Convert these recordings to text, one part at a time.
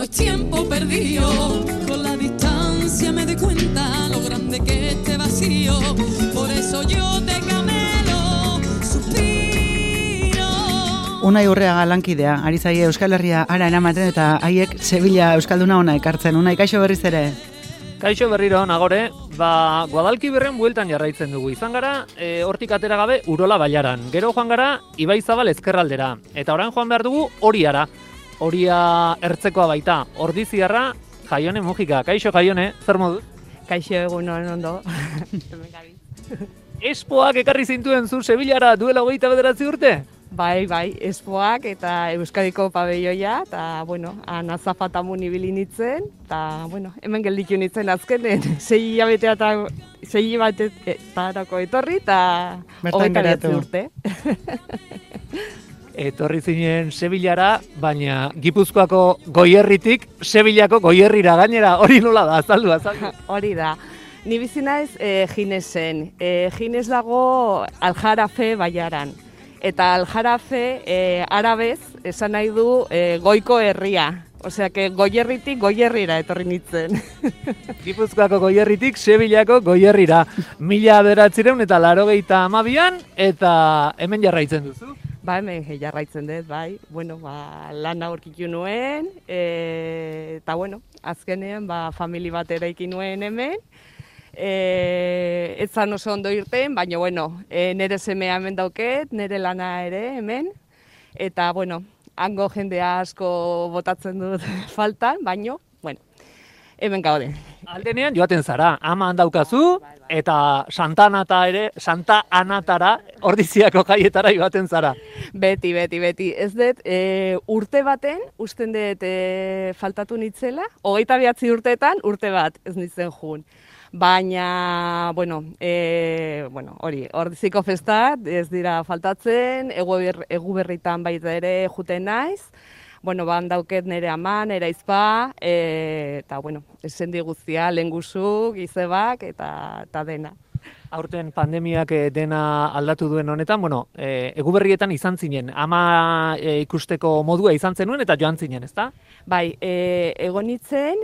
es tiempo perdido. Con la distancia me doy cuenta lo grande que este vacío. Por eso yo te camelo, suspiro. Unai Urreaga lankidea, ari zaie Euskal Herria ara eramaten eta haiek Sevilla Euskalduna ona ekartzen. Unai, kaixo berriz ere. Kaixo berriro nagore, Guadalquivierren bueltan jarraitzen dugu. Izan gara, hortik atera gabe Urola Bailaran. Gero joan gara Ibaizabal ezkerraldera. Eta orain joan behar dugu Oriara. Oria ertzekoa baita. Ordiziarra, Jaione Mujika. Kaixo Jaione, zer moduz? Kaixo egun ondo. Espoak ekarri zintuen zu Sevillara duela 29 urte? Bai, Espoak eta Euskadiko pabelloia, eta, bueno, Nazafatamun ibili nitzen, eta, bueno, hemen gelditu nitzen azkenen, 6 hilabetetarako etorri, eta 29 urte. Etorri zinen Sevillara, baina Gipuzkoako Goierritik Sevillako Goierrira gainera, hori nola da, azaldu. Hori da. Ni bizi naiz Ginesen. Gines dago Aljarafe Baiaran. Eta Aljarafe arabez esan nahi du goiko herria. Osea, que Goierritik Goierrira etorri nitzen. Gipuzkoako Goierritik Sevillako Goierrira. 1982an eta hemen jarraitzen duzu? Ba, hemen jarraitzen dut, bai. Bueno, lana aurkitu nuen, eta, bueno, azkenean, famili bat eraiki nuen hemen. Ez zan oso ondo irten, baina, bueno, nire semea hemen dauket, nire lana ere hemen. Eta, bueno, hango jende asko botatzen dut faltan, baina, bueno, hemen gaude. Aldenean joaten zara, ama handaukazu, eta Santa Anatara, Ordiziako jaietara joaten zara. Beti. Ez dut, urte baten, usten dut faltatu nitzela, 29 urteetan urte bat ez nitzen jun. Baina, bueno, hori, Ordiziko festak ez dira faltatzen, egu berritan baita ere juten naiz, bueno, dauket nire ama, nire aizpa, eta, bueno, esendi guztia, lenguzu, gizebak, eta dena. Aurten pandemiak dena aldatu duen honetan, bueno, eguberrietan izan zinen, ama ikusteko modua izan zenuen eta joan zinen, ezta? Bai, egon nitzen,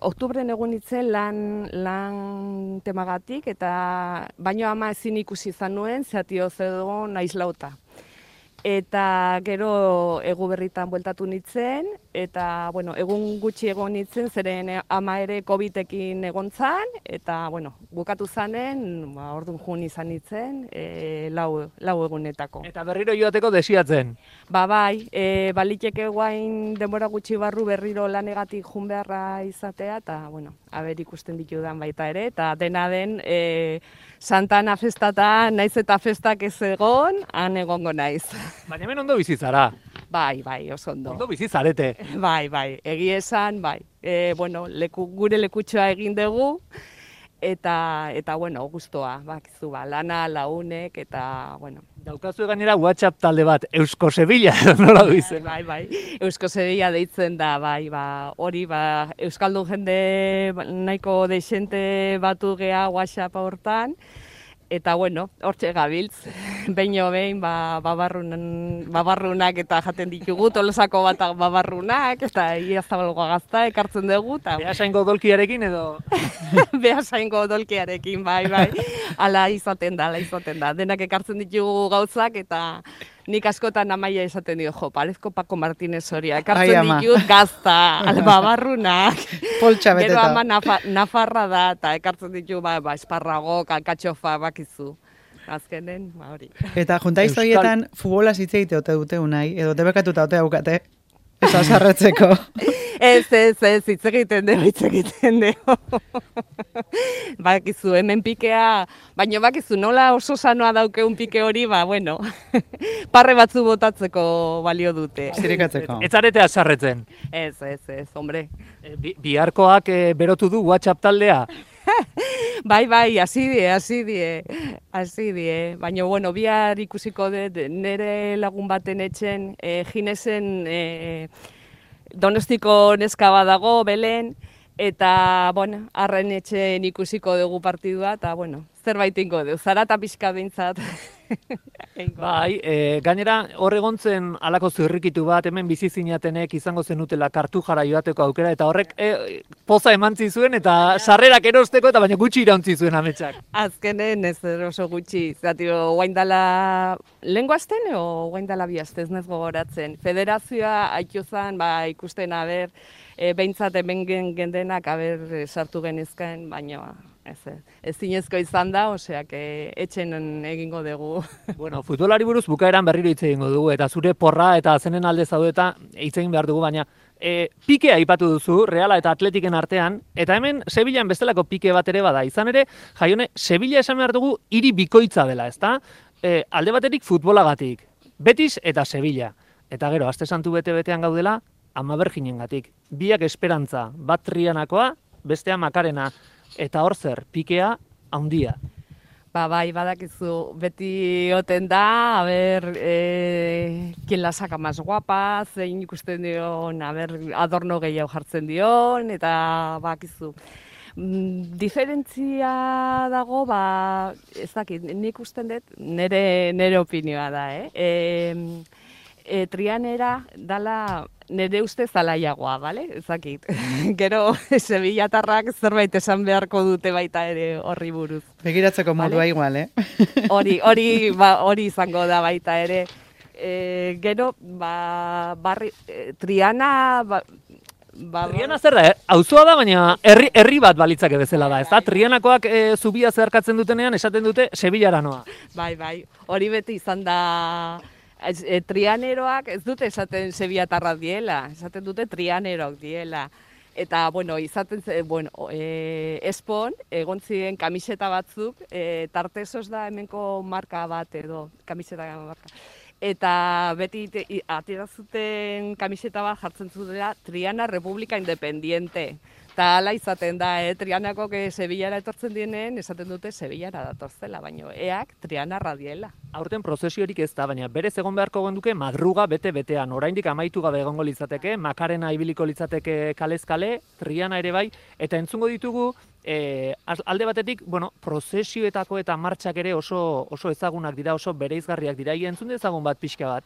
oktubren egon nitzen lan temagatik, eta baino ama ezin ikusi izan nuen, zehatio zedon aizlauta. Eta gero eguberritan bueltatu nitzen, eta, bueno, egun gutxi egon nitzen, zeren ama ere COVID-ekin egon zan, eta, bueno, bukatu zanen, orduan jun izan nitzen, lau egunetako. Eta berriro joateko desiatzen? Bai, baliteke guain denbora gutxi barru berriro lanegatik jun beharra izatea, eta, bueno, haber ikusten ditudan baita ere, eta dena den Santana festatan, naiz eta festak ez egon, han egongo naiz. Baina hemen ondo bizitzara. Bai, oso ondo. Ondo bizizarete. Bai, egia esan, bai. Bueno, gure lekutxoa egin dugu, eta bueno, guztua, bakizu, lana, launek, eta, bueno. Daukazu gainera WhatsApp talde bat, Eusko Sevilla, nola du izen? Bai, Eusko Sevilla deitzen da, bai, hori, Euskaldun jende nahiko deixente batu gea WhatsApp hortan, eta, bueno, hortxe gabiltz, behin, babarrunak eta jaten ditugu, Tolosako bat babarrunak, eta Iazzabalgoa gazta ekartzen dugu. Beasaingo dolkiarekin edo? Beasaingo dolkiarekin, bai, ala izaten da. Denak ekartzen ditugu gauzak, eta nik askotan amaia esaten dio, parezko Paco Martínez Soria, ekartzen ditut gazta, babarrunak. Poltsa beteta. Gero ama nafarra da, eta ekartzen ditu, esparragok, alkatxofa, bakizu. Azkenen, hori. Eta juntaiz horietan futbola hitz egite ote dute Unai, edo debekatuta ote daukate, ez azarretzeko. Ez, hitz egiten dugu. Bakizu, hemen pikea, baina bakizu, nola oso sanoa daukeun pike hori, bueno, parre batzu botatzeko balio dute. Zirikatzeko. Ez zarete azarretzen? Ez, hombre. Biharkoak berotu du WhatsApp taldea? Bai, hasi die. Baina, bueno, bihar ikusiko dut nire lagun baten etxen, Ginesen Donostiko neska badago, Belen, eta, bueno, arren etxen ikusiko dugu partidua, eta, bueno, zerbait ingo dugu, zarata pixka behintzat. Bai, gainera hor egontzen halako zirrikitu bat, hemen bizi zinatenek izango zenutela Kartujara joateko aukera, eta horrek poza emantzi zuen, eta sarrerak erosteko, eta baina gutxi irauntzi zuen ametsak. Azkenen ez oso gutxi, zatio, guaindala lenguazten, o guaindala bihazte, ez nez gogoratzen. Federazioa haitu zen, ikusten, behintzat hemen gendenak, sartu genizken, baina ez zinezko izan da, oseak etxen egingo dugu. Bueno, futbolari buruz bukaeran berriro hitz egingo dugu, eta zure porra eta zenen alde zaudeta hitz egin behar dugu, baina pikea aipatu duzu, Reala eta Atletiken artean, eta hemen Sevillan bestelako pike bat ere bada. Izan ere, Jaione, Sevilla esan behar dugu hiri bikoitza dela, ezta? Alde baterik futbolagatik, Betis eta Sevilla. Eta gero, aste santu bete-betean gaudela, Ama Berginengatik. Biak esperantza, bat Trianakoa, bestea Makarena. Eta hor zer, pikea handia. Bai, badakizu, beti oten da, quien la saca más guapa, zein ikusten dion, adorno gehiago jartzen dion, eta bakizu. Diferentzia dago, ez dakit, nik usten dut, nere opinioa da, Trianera dala nire ustez alaiagoa, bale? Ezakit. Gero Sevillatarrak zerbait esan beharko dute baita ere horri buruz. Begiratzeko modua igual, Hori izango da baita ere. Gero, Triana... Triana zer da, auzoa da, baina herri bat balitzake bezala da, ez da? Trianakoak zubia zeharkatzen dutenean esaten dute Sevillara noa. Bai, hori beti izan da... Trianeroak ez dute esaten Sevillatarrak diela, esaten dute Trianeroak diela. Eta, izaten Espon, egon ziren kamiseta batzuk, Tartesos da hemenko marka bat edo, kamiseta marka. Eta beti atierazuten kamiseta bat jartzen zutela Triana República Independiente. Eta ala izaten da, Trianako Sevillara etortzen dienen, esaten dute Sevillara datorzela, baina eak Triana radiela. Aurten prozesiorik ez da, baina berez egon beharko genduke madruga bete-betean. Oraindik amaitu gabe egongo litzateke, Makarena ibiliko litzateke kalez-kale, Triana ere bai, eta entzungo ditugu, alde batetik, prozesioetako eta martxak ere oso ezagunak dira, oso bereizgarriak dira, entzun dezagun bat pixka bat.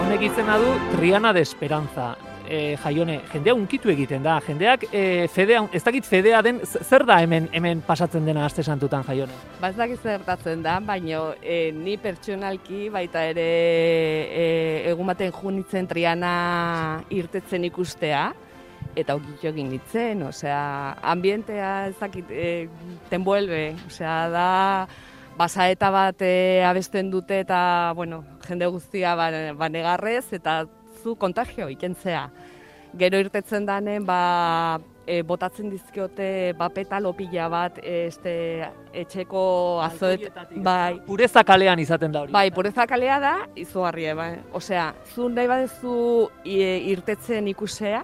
Honek izena du Triana de Esperanza. Jaione, jendea unkitu egiten da, jendeak ez dakit fedea den, zer da hemen pasatzen dena aste santutan, Jaione? Ez dakit zertatzen da, baina ni pertsonalki baita ere egun baten junitzen Triana irtetzen ikustea, eta okitxo egin nintzen, ambientea ez dakit, te envuelve, da... Basaeta bat abesten dute eta, jende guztia banegarrez eta zu kontagio ikentzea. Gero irtetzen danen, botatzen dizkiote petalo pila bat etxeko azoet. Pureza kalean izaten da hori. Bai, pureza kalea da, izugarria. Zu nahi badezu irtetzen ikusea,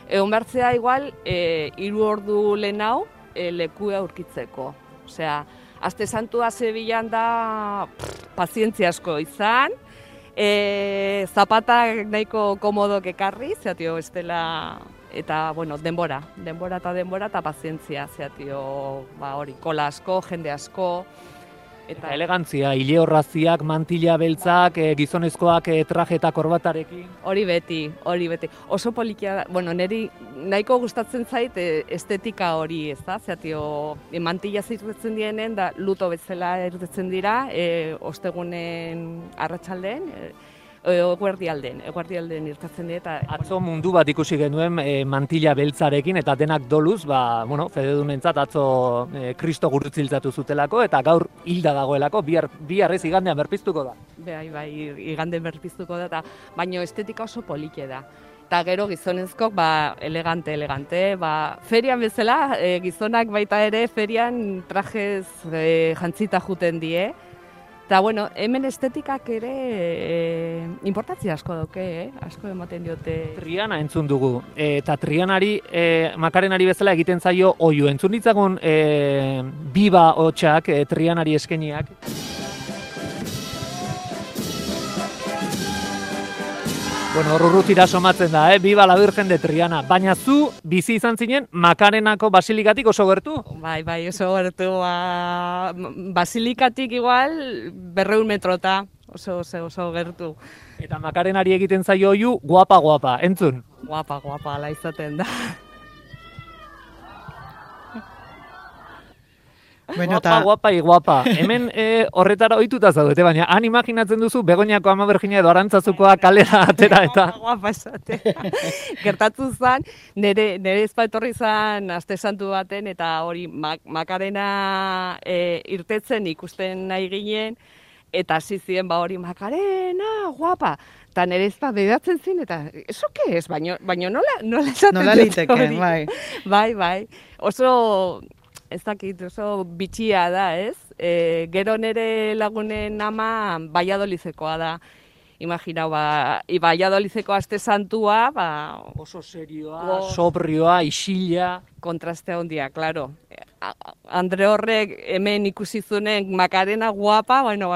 egon behartzea igual 3 ordu lehenau lekua aurkitzeko. Aste santua Sevillan da pazientzia asko izan, zapatak nahiko komodok ekarri, estela, eta, denbora eta pazientzia, hori, kola asko, jende asko. Eta elegantzia, ile horraziak, mantila beltzak, gizonezkoak traje eta korbatarekin. Hori beti. Oso polikia da, niri nahiko gustatzen zait estetika hori, ez da? Mantila zirretzen dienen, da luto bezala irtetzen dira, ostegunen arratsaldeen, eguerdialden irtetzen dira. Atzo mundu bat ikusi genuen mantila beltzarekin, eta denak doluz, fededunentzat atzo Kristo gurutziltzatu zutelako, eta gaur hilda dagoelako, bihar ez igandean berpiztuko da. Bai, igandean berpiztuko da, baina estetika oso polike da. Eta gero gizonezkok, elegante, ferian bezala, gizonak baita ere, ferian trajez jantzita juten die, eta, hemen estetikak ere importantzia asko dauke, asko ematen diote. Triana entzun dugu, eta Trianari, Makarenari bezala egiten zaio oiu. Entzun ditzagun biba hotxak, Trianari eskeniak. Bueno, urrutira somatzen da, Viva la Virgen de Triana. Baina zu bizi izan zinen Makarenako basilikatik oso gertu? Bai, oso gertu, basilikatik igual 200 metrota, oso gertu. Eta Makarenari egiten zaio oihu guapa, entzun? Guapa, ala izaten da. Bueno, guapa. Hemen horretara ohituta zaudete, baina han imaginatzen duzu Begoñako Ama Berjina edo Arantzazukoa kalera atera eta... Guapa esate. Gertatu zen, nire ezpa etorri zen aste santu baten, eta hori Makarena irtetzen ikusten nahi ginen, eta hasi ziren hori Makarena, guapa. Eta nire ezpa bedatzen zin, eta eso ke ez, baino nola esaten nola liteken, bai. Bai. Oso... Ez dakit, oso bitxia da, ez? Gero nire lagunen ama Valladolizekoa da. Imaginau, Valladolizeko aste santua, oso serioa, sobrioa, isila. Kontraste handia, claro. Andre horrek hemen ikusi zunen Makarena guapa, bueno,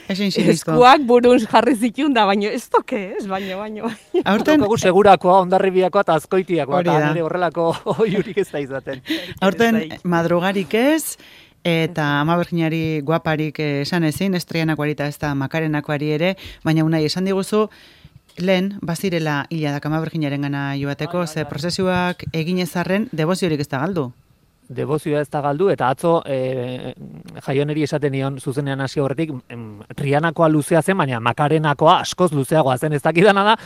eskuak burun jarri zitun da, baino ez toke, ez, baino. Aurten segurakoa, Hondarribiakoa eta Azkoitiakoa, eta nire horrelako oiurik ez da izaten. Aurten madrugarik ez, eta Ama Berjinari guaparik esan ezin, ez Trianakoari eta ez da Makarenakoari ere, baina unai esan diguzu, lehen, bazirela hiladak Ama Berjinaren gana joateko, ze prozesuak egin ezarren, deboziorik ez da galdu. Debozioa ez da galdu, eta atzo Jaioneri esaten nion zuzenean hasi horretik, Trianakoa luzea zen, baina Makarenakoa askoz luzeagoa zen, ez dakidana da,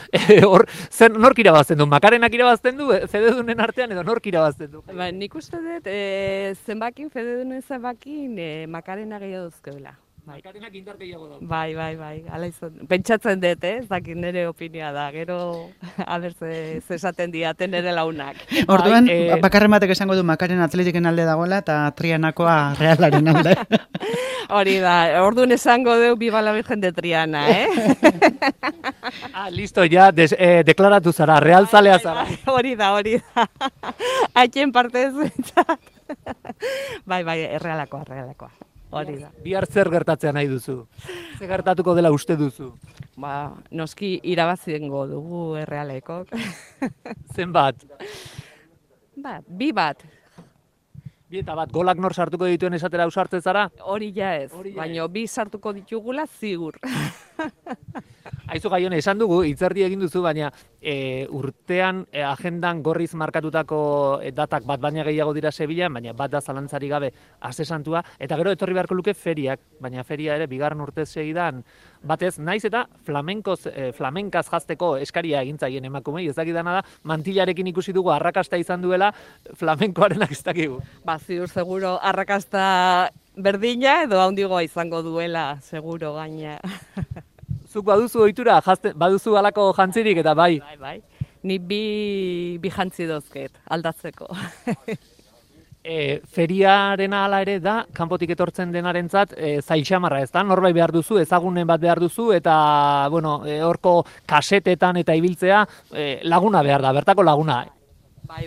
nork irabazten du? Makarenak irabazten du, fededunen artean, edo nork irabazten du? Nik uste dut, fededunen zenbakin, Makarena gehiago duzkeula. Makarenak indar gehiago daude. Bai, ala izan. Pentsatzen dut, ez dakit nire opinioa da, gero, aber ze esaten diaten nire launak. Orduan, bakarren batek esango du Makarena Atletiken alde dagoela, eta Trianakoa Realaren alde. Hori da, orduan esango du Viva la Virgen de Triana, Listo, ja, deklaratu zara, realzalea zara. Hori da. Haitien parte ez zentzat. Bai, errealakoa. Hori da. Bihar zer gertatzea nahi duzu? Zer gertatuko dela uste duzu? Noski irabaziengo dugu Errealekok. Zenbat? 2 bat. Bi eta bat, golak nor sartuko dituen esatera ausartzen zara? Hori ja ez, baina 2 sartuko ditugula zigur. Aizu Jaione, esan dugu, hitzerdi egin duzu, baina urtean agendan gorriz markatutako datak bat baina gehiago dira Sevillan, baina bat da zalantzari gabe aste santua, eta gero etorri beharko luke feriak, baina feria ere bigarren urtez segidan batez, naiz eta flamenkaz jazteko eskaria egintzaien emakumei, ez dakidana da, mantilarekin ikusi dugu arrakasta izan duela, flamenkoarenak ez dakigu. Ziur seguro arrakasta berdina edo handigoa izango duela, seguro gaina. Zuk baduzu ohitura, baduzu halako jantzirik eta bai. Bai. Ni bi jantzi dozket, aldatzeko. Feriarena hala ere da, kanpotik etortzen denarentzat zail xamarra, ez da? Norbait behar duzu, ezagunen bat behar duzu, eta, horko kasetetan eta ibiltzea laguna behar da, bertako laguna. Bai.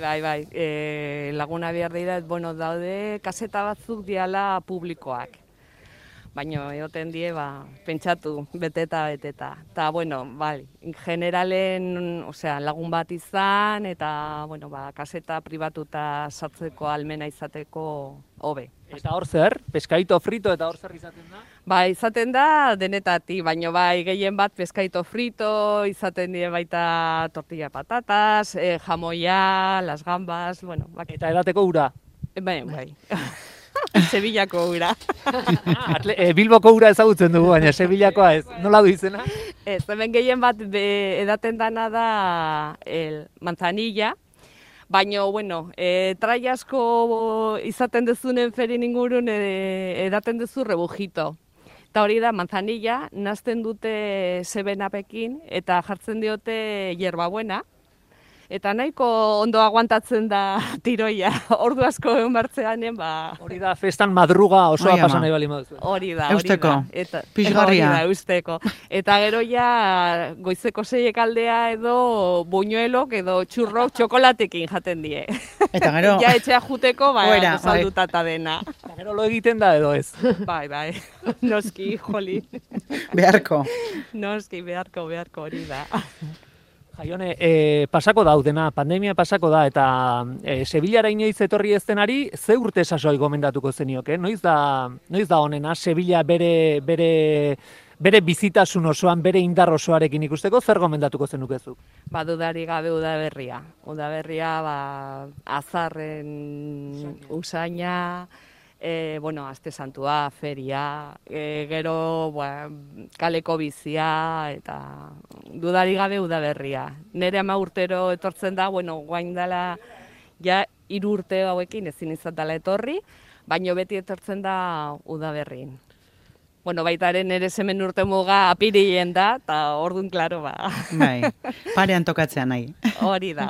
Laguna behar dira, daude kaseta batzuk diala publikoak. Baina egoten die, pentsatu, beteta. Eta, generalen, lagun bat izan, eta, kaseta pribatuta sartzeko almena izateko hobe. Eta hor zer? Peskaito frito eta hor zer izaten da? Izaten da denetatik, baina gehien bat peskaito frito, izaten die baita tortilla patatas, jamoia, las gambas, Eta edateko ura? Bai. Sevillako ura. Bilboko ura ezagutzen dugu, baina Sevillakoa ez. Nola du izena? Ez, hemen gehien bat edaten dana da manzanilla, baina, trai asko izaten dezunen ferin ingurun edaten dezu rebujito. Eta hori da, manzanilla, nazten dute 7-Upekin eta jartzen diote hierbabuena. Eta nahiko ondo aguantatzen da tiroia, ordu asko egon bartzeanen, Hori da, festan madruga osoa pasan nahi bali moduzu. Hori da. Eusteko, pixgarria. Eusteko. Eta gero ja, goizeko 6 aldea edo buñuelok edo txurrok txokolatekin jaten die. Eta gero... Ja etxea juteko, saldutata dena. Eta gero lo egiten da edo ez? Bai. Noski, joli. Beharko. Noski, beharko hori da. Jaione, pasako daudena, pandemia pasako da, eta Sevillara inoiz etorri ez denari, ze urte sasoi gomendatuko zenioke? Noiz da honena, Sevilla bere bizitasun osoan, bere indar osoarekin ikusteko, zer gomendatuko zenukezuk? Ba, dudari gabe udaberria. Udaberria, azarren usaina, aste santua, feria, gero kaleko bizia, eta dudari gabe udaberria. Nere 10 urtero etortzen da, guain dela, ja 3 urte hauekin ezin izan dela etorri, baino beti etortzen da udaberrin. Baitaren nere semen urte muga apirilien da, eta orduan, klaro, Bai, parean tokatzea nahi. Hori da.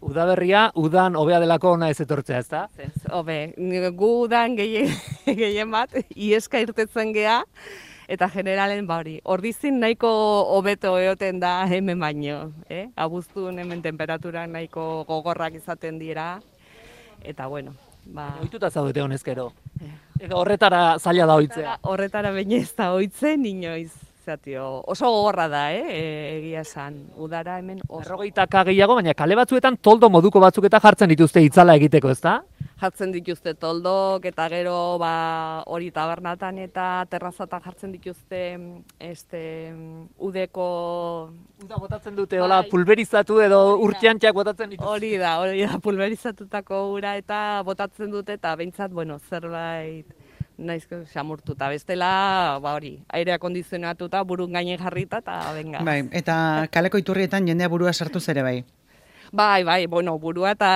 Udaberria, udan hobea delako ona ez etortzea, ez da? Hobe, gu udan gehien bat, ieska irtetzen gea, eta generalen hori. Ordizin nahiko hobeto eoten da hemen baino. Abuztun hemen temperaturak nahiko gogorrak izaten dira, eta Ohituta zaudete honezkero. Horretara zaila da ohitzea. Horretara baina ez da ohitzen inoiz. Oso gogorra da, egia esan. Udara hemen oso. 40 gehiago, baina kale batzuetan toldo moduko batzuk eta jartzen dituzte itzala egiteko, ezta? Jartzen dituzte toldok, eta gero hori tabernatan eta terrazatan jartzen dituzte udeko... Uda botatzen dute, hola, pulverizatu edo urtiantxak botatzen dituzte. Hori da, pulverizatutako ura eta botatzen dute, eta behintzat, zerbait naizko xamurtuta. Bestela, airea kondizionatuta, burun gainen jarrita, eta venga. Bai, eta kaleko iturrietan jendea burua sartuz ere bai. Bai, burua eta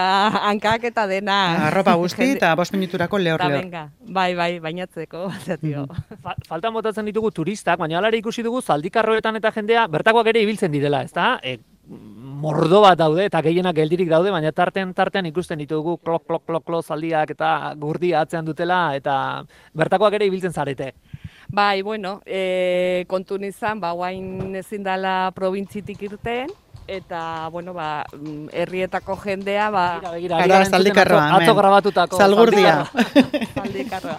hankak eta dena. Arropa guzti eta 5 minuturako lehor. Bai, bainatzeko. Faltan botatzen ditugu turistak, baina alare ikusi dugu zaldikarroetan eta jendea bertakoak ere ibiltzen direla, ezta? Mordo bat daude eta gehienak geldirik daude, baina tartean ikusten ditugu klok zaldiak eta gurdia atzean dutela eta bertakoak ere ibiltzen zarete. Bai, kontun izan, guain ezin dela probintzitik irten, eta, herrietako jendea, Begira, zaldikarroa, atzo grabatutako. Zalgurdia. Zaldikarroa.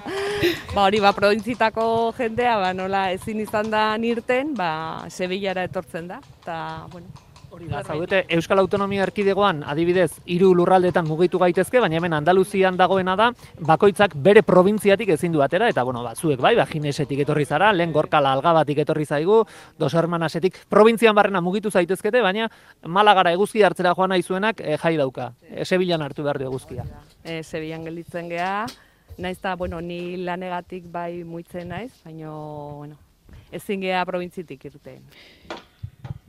Hori, probintzitako jendea, nola ezin izan da nirten, Sevillara etortzen da, eta, Hori da, zaudete, Euskal Autonomia Erkidegoan, adibidez, 3 lurraldetan mugitu gaitezke, baina hemen Andaluzian dagoena da, bakoitzak bere probintziatik ezin du atera, eta, zuek bai, Ginesetik etorri zara, lehen Gorkala Algabatik etorri zaigu, Dos Hermanasetik, probintzian barrena mugitu zaitezkete, baina Malagara eguzki hartzera joan nahi zuenak jai dauka. Sevillan hartu behar du eguzkia. Sevillan gelditzen gea, naiz eta, ni lanegatik bai muitzen naiz, baina, ezin gea probintzitik irten.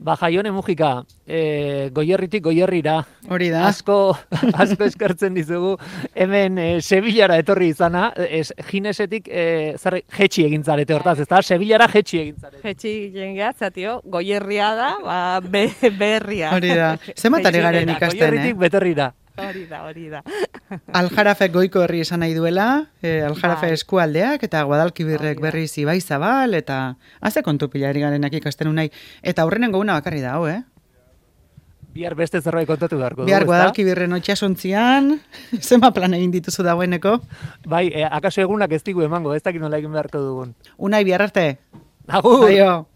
Jaione Mujika, Goierritik Goierrira. Hori da. Asko eskertzen dizugu hemen Sevillara etorri izana, Ginesetik jetxi egin zarete hortaz, ezta? Sevillara jetxi egin zarete. Jetxi egin zatio, Goierria da, berria. Hori da. Zematari garen ikasten, Goierritik beterrira. Hori da. Aljarafe goiko herri esan nahi duela, Aljarafe eskualdeak, eta Guadalquivir berriz Ibaizabal, eta haze kontu pilari garenak ikasten unai. Eta aurrenengo una bakarri da, Bihar beste zerbait kontatu beharko. Bihar Guadalquivir itsasontzian, zema plan egin dituzu dagoeneko? Bai, akaso egunak ez digu emango, ez dakit nola egin beharko dugun. Unai, bihar arte. Agur! Aio!